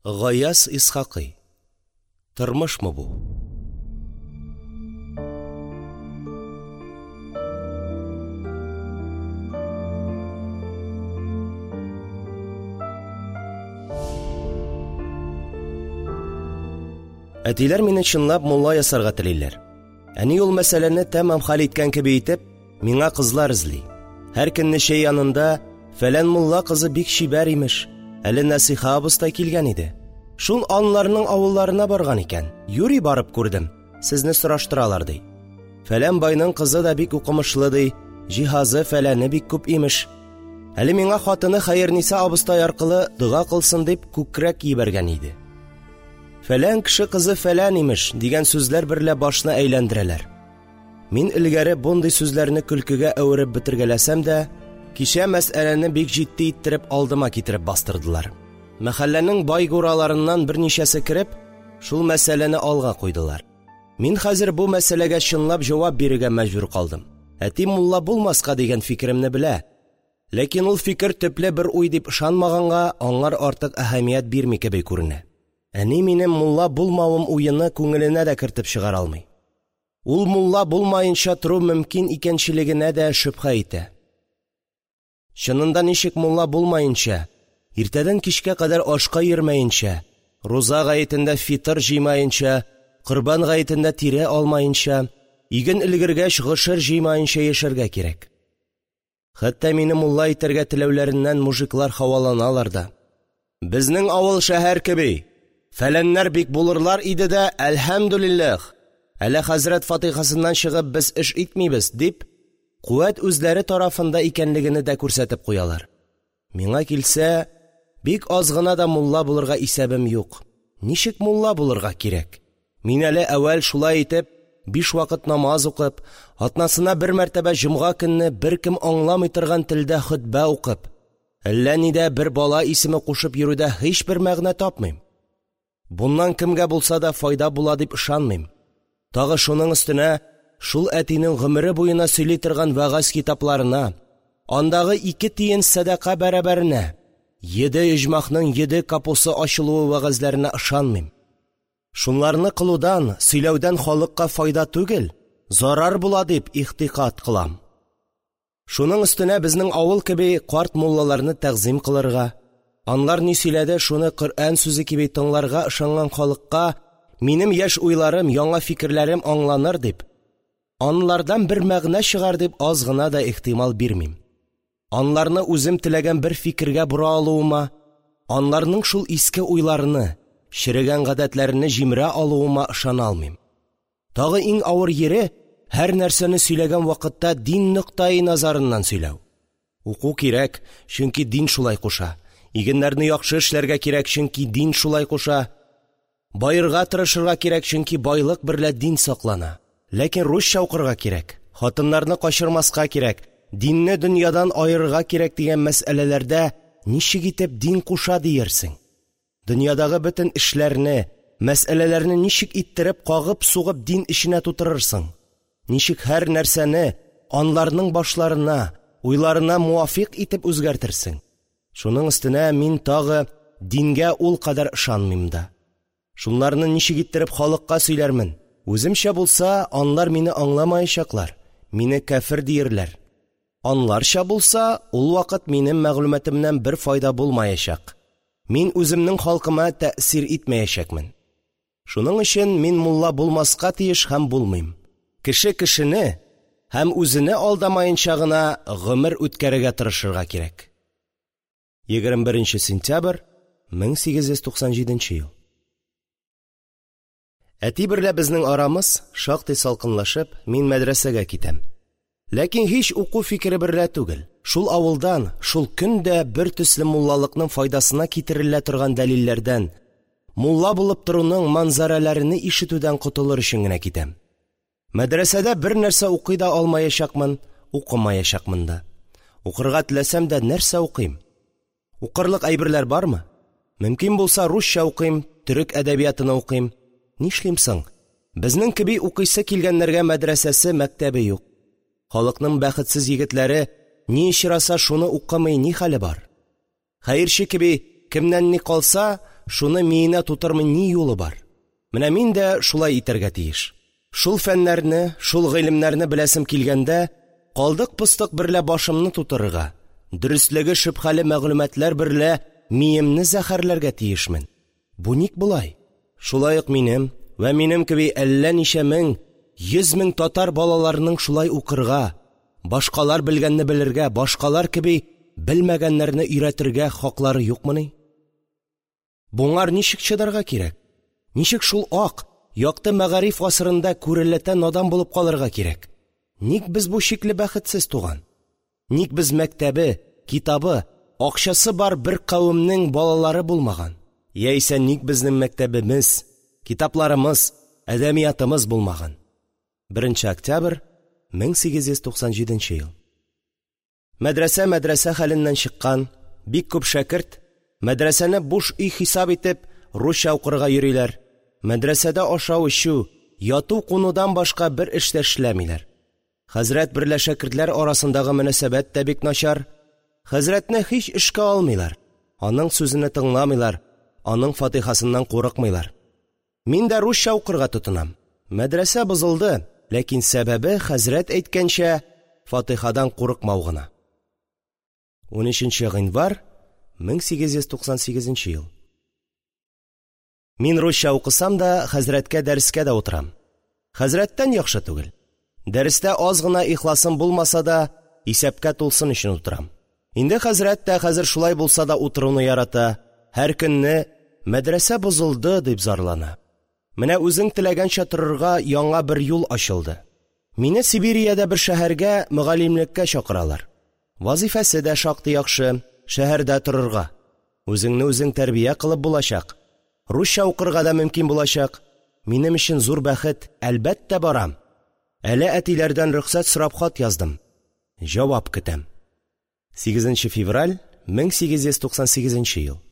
Гаяз Исхакый Тормышмы бу? Әтиләр мине чынлап мулла ясарга телиләр. Әни ул мәсьәләне тәмам хәл иткән кеби итеп, миңа кызлар эзли. Һәр көнне чәй янында фәлән мулла кызы бик чибәр имеш. Әле Нәсиха абыстай килгән иде. Шул анларның авылларына барган икән. Юри барып күрдем. Сезне сораштыралар ди. Фәлән байның кызы да бик укымышлы ди. Җиһазы фәләне бик күп имеш. Әле миңа хатыны Хәерниса абыстай аркылы дога кылсын дип күкрәк җибәргән иде. Фәлән кеше кызы фәлән имеш дигән сүзләр берлә башны әйләндерәләр. Мин элгәре бундый сүзләрне көлкегә әвереп бетергәләсәм дә, кичә мәсьәләне бик җитди иттереп алдыма китереп бастырдылар. Мәхәлләнең байгураларыннан берничәсе кереп, шул мәсьәләне алга куйдылар. Мин хәзер бу мәсьәләгә чынлап җавап бирергә мәҗбүр калдым. Әти мулла булмаска дигән фикеремне белә. Ләкин ул фикер төпле бер уй дип ышанмаганга, аңар артык әһәмият бирми кеби күренә. Әни минем мулла булмавым уены күңеленә дә кертеп чыгара алмый. Ул мулла булмаенча тору мөмкин икәнчелегенә дә шөбһә итә. Чынында ничек мулла булмаенча, иртәдән кичкә кадәр ашка йөрмәенчә, руза гаетендә фитыр җыймаенча, корбан гаетендә тире алмаенча, иген өлгергәч гошер җыймаенча яшәргә кирәк? Хәтта мине мулла итәргә теләүләреннән мужиклар һаваланалар да. Безнең авыл шәһәр кеби, фәләннәр бик булырлар иде дә, әлхәмдүлилләһ, әле хәзрәт фатихасыннан чыгып без эш итмибез, дип, куәт үзләре тарафында икәнлегене дә күрсәтеп куялар. Миңа килсә, бик аз гына да мулла булырга исәбем юк. Ничек мулла булырга кирәк? Мин әле әүвәл шулай итеп, биш вакыт намаз укып, атнасына бер мәртәбә җомга көнне беркем аңламый торган телдә хөтбә укып, әллә нидә бер бала исеме кушып йөрүдә һичбер мәгънә тапмыйм. Буннан кемгә булса да файда була дип ышанмыйм. Тагы шуның өстенә шул әтинең гомере буена сөйли торган вәгазь китапларына, андагы ике тиен сәдака бәрабәренә йиде оҗмахның йиде капусы ачылуы вәгазьләренә ышанмыйм. Шунларны кылудан, сөйләүдән халыкка файда түгел, зарар була дип игътикад кылам. Шуның өстенә безнең авыл кеби карт муллаларны тәгъзыйм кылырга, анлар ни сөйләде, шуны Коръән сүзе кеби тыңларга ышанган халыкка минем яшь уйларым, яңа фикерләрем аңланыр дип, анлардан бер мәгънә чыгар дип аз гына да ихтимал бирмим. Анларны үзем теләгән бер фикергә бора алуыма, анларның шул иске уйларыны, черегән гадәтләрене җимерә алуыма ышана алмыйм. Тагы иң авыр йире һәр нәрсәне сөйләгән вакытта дин ноктаи назарыннан сөйләү. Уку кирәк, чөнки дин шулай куша. Игеннәрне яхшы эшләргә кирәк, чөнки дин шулай куша. Баерга тырышырга кирәк, чөнки байлык берлә дин саклана. Ләкин русча укырга кирәк, хатыннарны качырмаска кирәк, динне дөньядан аерырга кирәк дигән мәсьәләләрдә ничек итеп дин куша диерсең? Дөньядагы бөтен эшләрне, мәсьәләләрне ничек иттереп кагып-сугып дин эченә тутырырсың? Ничек һәр нәрсәне анларның башларына, уйларына муафикъ итеп үзгәртерсең? Шуның өстенә мин тагы дингә ул кадәр ышанмыйм да. Шунларны ничек иттереп халыкка сөйләрмен? Үземчә булса, анлар мине аңламаячаклар, мине кяфер диерләр. Анларча булса, ул вакыт минем мәгълүматымнан бер файда булмаячак. Мин үземнең халкыма тәэсир итмәячәкмен. Шуның өчен мин мулла булмаска тиеш һәм булмыйм. Кеше кешене һәм үзене алдамаенча гына гомер үткәрергә тырышырга кирәк. 21 сентябрь 1897 ел. Әти берлә безнең арамыз шактый салкынлашып, мин мәдрәсәгә китәм. Ләкин һич уку фикере берлә түгел. Шул авылдан, шул көн дә бер төсле муллалыкның файдасына китерелә торган дәлилләрдән, мулла булып торуның манзарәләрене ишетүдән котылыр өчен генә китәм. Мәдрәсәдә бер нәрсә укый да алмаячакмын, укымаячакмын да. Укырга теләсәм дә нәрсә укыйм? Укырлык әйберләр бармы? Мөмкин булса русча укыйм, төрек әдәбиятыны укыйм. Нишлим соң? Безнең кеби укыйсы килгәннәргә мәдрәсәсе, мәктәбе юк. Халыкның бәхетсез егетләре ни очраса шуны укымый ни хәле бар? Хәерче кеби кемнән ни калса, шуны миенә тутырмый ни юлы бар? Менә мин дә шулай итәргә тиеш. Шул фәннәрне, шул гыйлемнәрне беләсем килгәндә, калдык-постык берлә башымны тутырырга, дөрестлеге шөбһәле мәгълүматлар берлә миемне зәһәрләргә тиешмен. Бу ник болай? Шулай ук минем вә минем кеби әллә ничә мең, йөз мең татар балаларының шулай укырга, башкалар белгәнне белергә, башкалар кеби белмәгәннәрне өйрәтергә хаклары юкмыни? Буңар ничек чыдарга кирәк? Ничек шул ак, якты мәгариф гасырында күрәләтә надан булып калырга кирәк? Ник без бу шикле бәхетсез туган? Ник без мәктәбе, китабы, акчасы бар бер кавемнең балалары булмаган? Яисә ник безнең мәктәбемез, китапларымыз, әдәбиятымыз булмаган? 1 нче октябрь 1897 ел. Мәдрәсә мәдрәсә хәленнән чыккан, бик күп шәкерт, мәдрәсәне буш өй хисап итеп, русча укырга йөриләр. Мәдрәсәдә ашау-эчү, яту-кунудан башка бер эш тә эшләмиләр. Хәзрәт берлә шәкертләр арасындагы мөнәсәбәт тә бик начар. Хәзрәтне һич эшкә алмыйлар, аның сүзене тыңламыйлар, аның фатихасыннан курыкмыйлар. Мин дә русча укырга тотынам. Мәдрәсә бозылды, ләкин сәбәбе, хәзрәт әйткәнчә, фатихадан курыкмау гына. 13 гыйнвар 1898 ел. Мин русча укысам да, хәзрәткә дәрескә дә утырам. Хәзрәттән яхшы түгел. Дәрестә аз гына ихласым булмаса да, исәпкә тулсын өчен утырам. Инде хәзрәт тә хәзер шулай булса да утыруны ярата, һәр көнне мәдрәсә бозылды дип зарлана. Менә үзең теләгәнчә торырга яңа бер юл ачылды. Мине Сибириядә бер шәһәргә мөгаллимлеккә чакыралар. Вазифасы да шактый яхшы, шәһәрдә торырга. Үзеңне үзең тәрбия кылып булачак. Русча укырга да мөмкин булачак. Минем өчен зур бәхет, әлбәттә барам. Әле әтиләрдән рөхсәт сорап хат яздым. Җавап көтәм. 8 февраль 1898 ел.